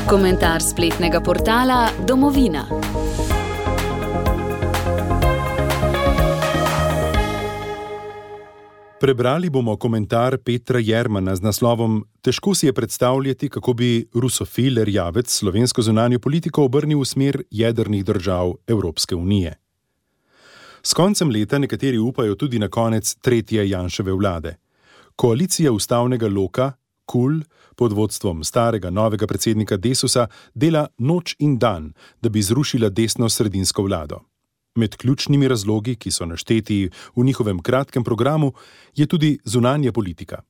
Komentar spletnega portala Domovina. Prebrali bomo komentar Petra Jermana z naslovom Težko si je predstavljati, kako bi rusofil Erjavec slovensko zunanjo politiko obrnil v smer jedrnih držav Evropske unije. S koncem leta nekateri upajo tudi na konec tretje Janševe vlade. Koalicija ustavnega loka, KUL, pod vodstvom starega novega predsednika Desusa, dela noč in dan, da bi zrušila desno-sredinsko vlado. Med ključnimi razlogi, ki so našteti v njihovem kratkem programu, je tudi zunanja politika.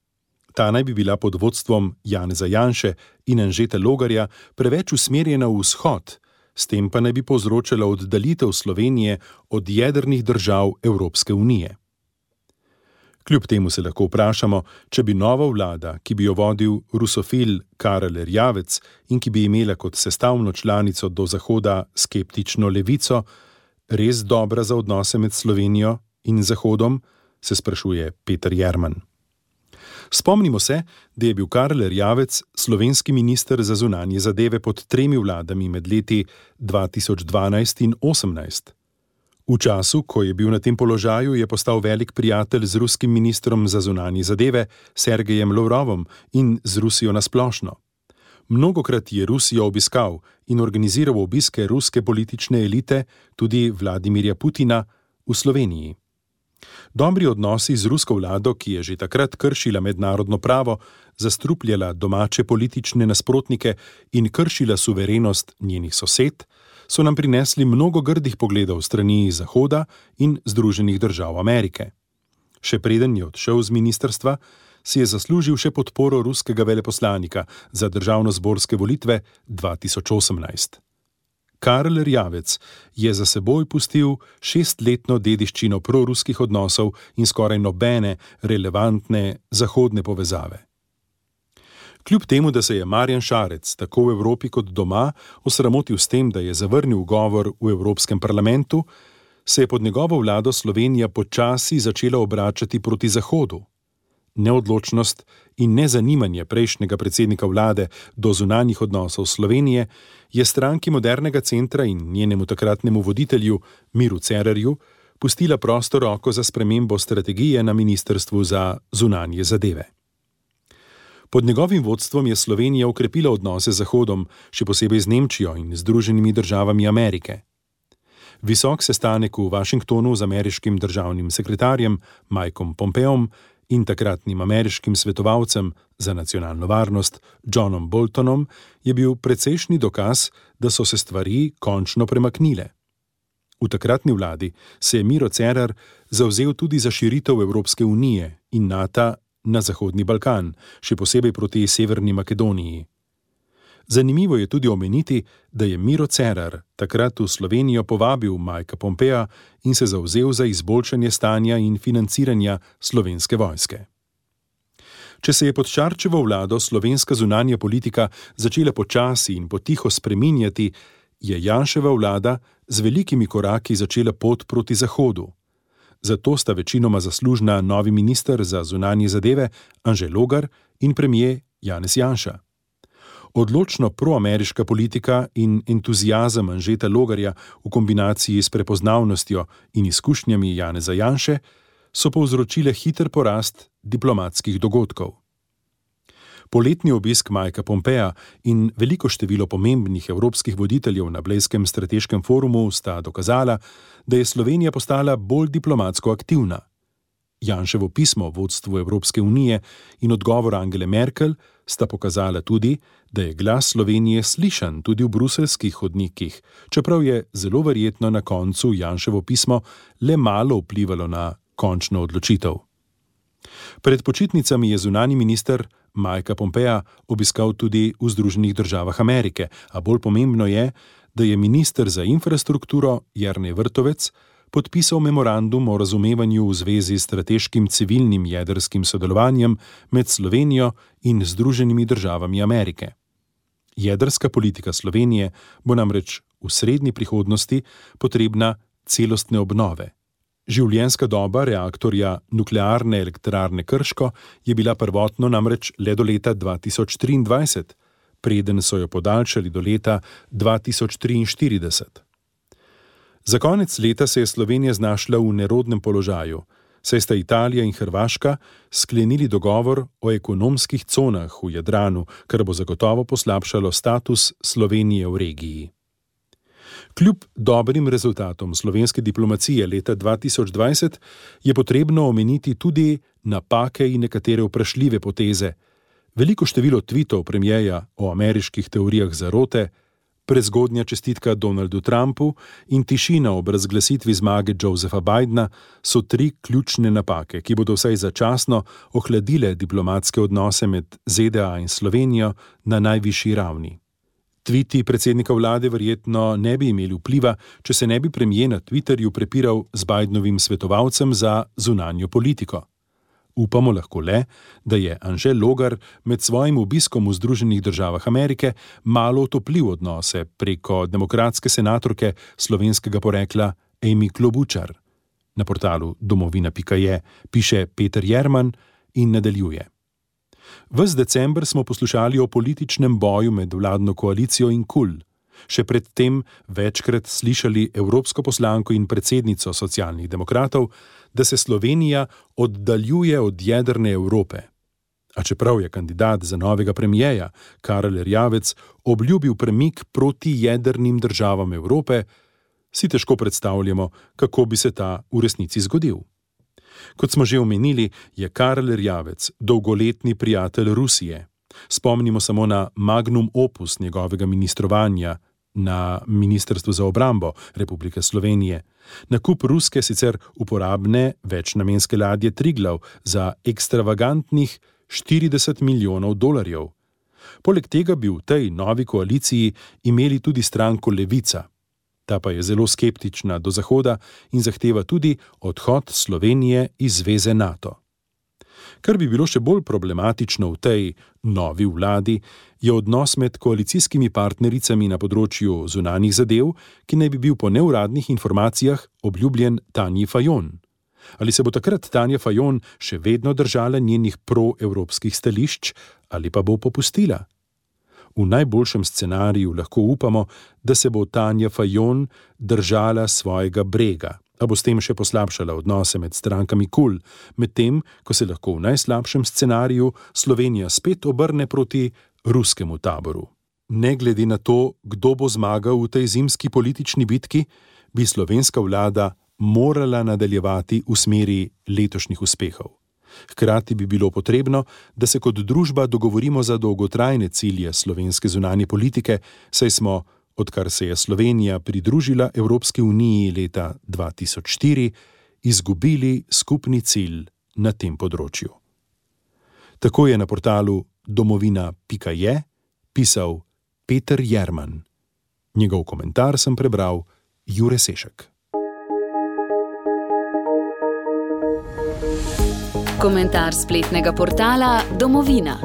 Ta naj bi bila pod vodstvom Janeza Janše in Anžeta Logarja preveč usmerjena v vzhod, s tem pa naj bi povzročala oddaljitev Slovenije od jedrnih držav Evropske unije. Kljub temu se lahko vprašamo, če bi nova vlada, ki bi jo vodil rusofil Karel Erjavec in ki bi imela kot sestavno članico do zahoda skeptično levico, res dobra za odnose med Slovenijo in Zahodom, se sprašuje Peter Jerman. Spomnimo se, da je bil Karel Erjavec slovenski minister za zunanje zadeve pod 3 vladami med leti 2012 in 2018. V času, ko je bil na tem položaju, je postal velik prijatelj z ruskim ministrom za zunanje zadeve Sergejem Lavrovom in z Rusijo nasplošno. Mnogokrat je Rusijo obiskal in organiziral obiske ruske politične elite, tudi Vladimirja Putina, v Sloveniji. Dobri odnosi z rusko vlado, ki je že takrat kršila mednarodno pravo, zastrupljala domače politične nasprotnike in kršila suverenost njenih sosed, so nam prinesli mnogo grdih pogledov strani Zahoda in Združenih držav Amerike. Še preden je odšel z ministrstva, si je zaslužil še podporo ruskega veleposlanika za državnozborske volitve 2018. Karel Erjavec je za seboj pustil 6-letno dediščino proruskih odnosov in skoraj nobene relevantne zahodne povezave. Kljub temu, da se je Marjan Šarec tako v Evropi kot doma osramotil s tem, da je zavrnil govor v Evropskem parlamentu, se je pod njegovo vlado Slovenija počasi začela obračati proti Zahodu. Neodločnost in nezanimanje prejšnjega predsednika vlade do zunanjih odnosov Slovenije je stranki Modernega centra in njenemu takratnemu voditelju Miru Cerarju pustila prosto roko za spremembo strategije na Ministrstvu za zunanje zadeve. Pod njegovim vodstvom je Slovenija okrepila odnose z Zahodom, še posebej z Nemčijo in Združenimi državami Amerike. Visok sestanek v Washingtonu z ameriškim državnim sekretarjem Mikeom Pompeom in takratnim ameriškim svetovalcem za nacionalno varnost Johnom Boltonom je bil precejšnji dokaz, da so se stvari končno premaknile. V takratni vladi se je Miro Cerar zavzel tudi za širitev Evropske unije in NATO na Zahodni Balkan, še posebej proti Severni Makedoniji. Zanimivo je tudi omeniti, da je Miro Cerar takrat v Slovenijo povabil Mikea Pompea in se zavzel za izboljšanje stanja in financiranja slovenske vojske. Če se je pod Šarčevo vlado slovenska zunanja politika začela počasi in potiho spreminjati, je Janševa vlada z velikimi koraki začela pot proti Zahodu. Zato sta večinoma zaslužna novi minister za zunanje zadeve Anže Logar in premier Janez Janša. Odločno proameriška politika in entuziazem Anžeta Logarja v kombinaciji s prepoznavnostjo in izkušnjami Janeza Janše so povzročile hiter porast diplomatskih dogodkov. Poletni obisk Mikea Pompea in veliko število pomembnih evropskih voditeljev na Blejskem strateškem forumu sta dokazala, da je Slovenija postala bolj diplomatsko aktivna. Janševo pismo vodstvu Evropske unije in odgovor Angele Merkel sta pokazala tudi, da je glas Slovenije slišan tudi v bruseljskih hodnikih, čeprav je zelo verjetno na koncu Janševo pismo le malo vplivalo na končno odločitev. Pred počitnicami je zunanji minister Mikea Pompea obiskal tudi v Združenih državah Amerike, a bolj pomembno je, da je minister za infrastrukturo Jernej Vrtovec podpisal memorandum o razumevanju v zvezi s strateškim civilnim jedrskim sodelovanjem med Slovenijo in Združenimi državami Amerike. Jedrska politika Slovenije bo namreč v srednji prihodnosti potrebna celostne obnove. Življenjska doba reaktorja nuklearne elektrarne Krško je bila prvotno namreč le do leta 2023, preden so jo podaljšali do leta 2043. Za konec leta se je Slovenija znašla v nerodnem položaju, saj sta Italija in Hrvaška sklenili dogovor o ekonomskih conah v Jadranu, kar bo zagotovo poslabšalo status Slovenije v regiji. Kljub dobrim rezultatom slovenske diplomacije leta 2020 je potrebno omeniti tudi napake in nekatere vprašljive poteze, veliko število tvitov premierja o ameriških teorijah zarote, prezgodnja čestitka Donaldu Trumpu in tišina ob razglasitvi zmage Josepha Bidena so 3 ključne napake, ki bodo vsaj začasno ohladile diplomatske odnose med ZDA in Slovenijo na najvišji ravni. Tviti predsednika vlade verjetno ne bi imeli vpliva, če se ne bi premier na Twitterju prepiral z Bidenovim svetovalcem za zunanjo politiko. Upamo lahko le, da je Anže Logar med svojim obiskom v Združenih državah Amerike malo otoplil odnose preko demokratske senatorke slovenskega porekla Amy Klobučar. Na portalu domovina.je piše Peter Jerman in nadaljuje. Ves december smo poslušali o političnem boju med vladno koalicijo in KUL. Še predtem večkrat slišali evropsko poslanko in predsednico Socialnih demokratov, da se Slovenija oddaljuje od jedrne Evrope. A čeprav je kandidat za novega premierja Karel Erjavec obljubil premik proti jedrnim državam Evrope, si težko predstavljamo, kako bi se ta v resnici zgodil. Kot smo že omenili, je Karel Erjavec dolgoletni prijatelj Rusije. Spomnimo samo na magnum opus njegovega ministrovanja na Ministrstvu za obrambo Republike Slovenije, nakup ruske sicer uporabne večnamenske ladje Triglav za ekstravagantnih $40 milijonov. Poleg tega bi v tej novi koaliciji imeli tudi stranko Levica. Ta pa je zelo skeptična do Zahoda in zahteva tudi odhod Slovenije iz zveze NATO. Kar bi bilo še bolj problematično v tej novi vladi, je odnos med koalicijskimi partnericami na področju zunanjih zadev, ki naj bi bil po neuradnih informacijah obljubljen Tanji Fajon. Ali se bo takrat Tanja Fajon še vedno držala njenih proevropskih stališč ali pa bo popustila? V najboljšem scenariju lahko upamo, da se bo Tanja Fajon držala svojega brega, a bo s tem še poslabšala odnose med strankami KUL, medtem ko se lahko v najslabšem scenariju Slovenija spet obrne proti ruskemu taboru. Ne glede na to, kdo bo zmagal v tej zimski politični bitki, bi slovenska vlada morala nadaljevati v smeri letošnjih uspehov. Hkrati bi bilo potrebno, da se kot družba dogovorimo za dolgotrajne cilje slovenske zunanje politike, saj smo, odkar se je Slovenija pridružila Evropski uniji leta 2004, izgubili skupni cilj na tem področju. Tako je na portalu domovina.je pisal Peter Jerman. Njegov komentar sem prebral Jure Sešek. Komentar spletnega portala Domovina.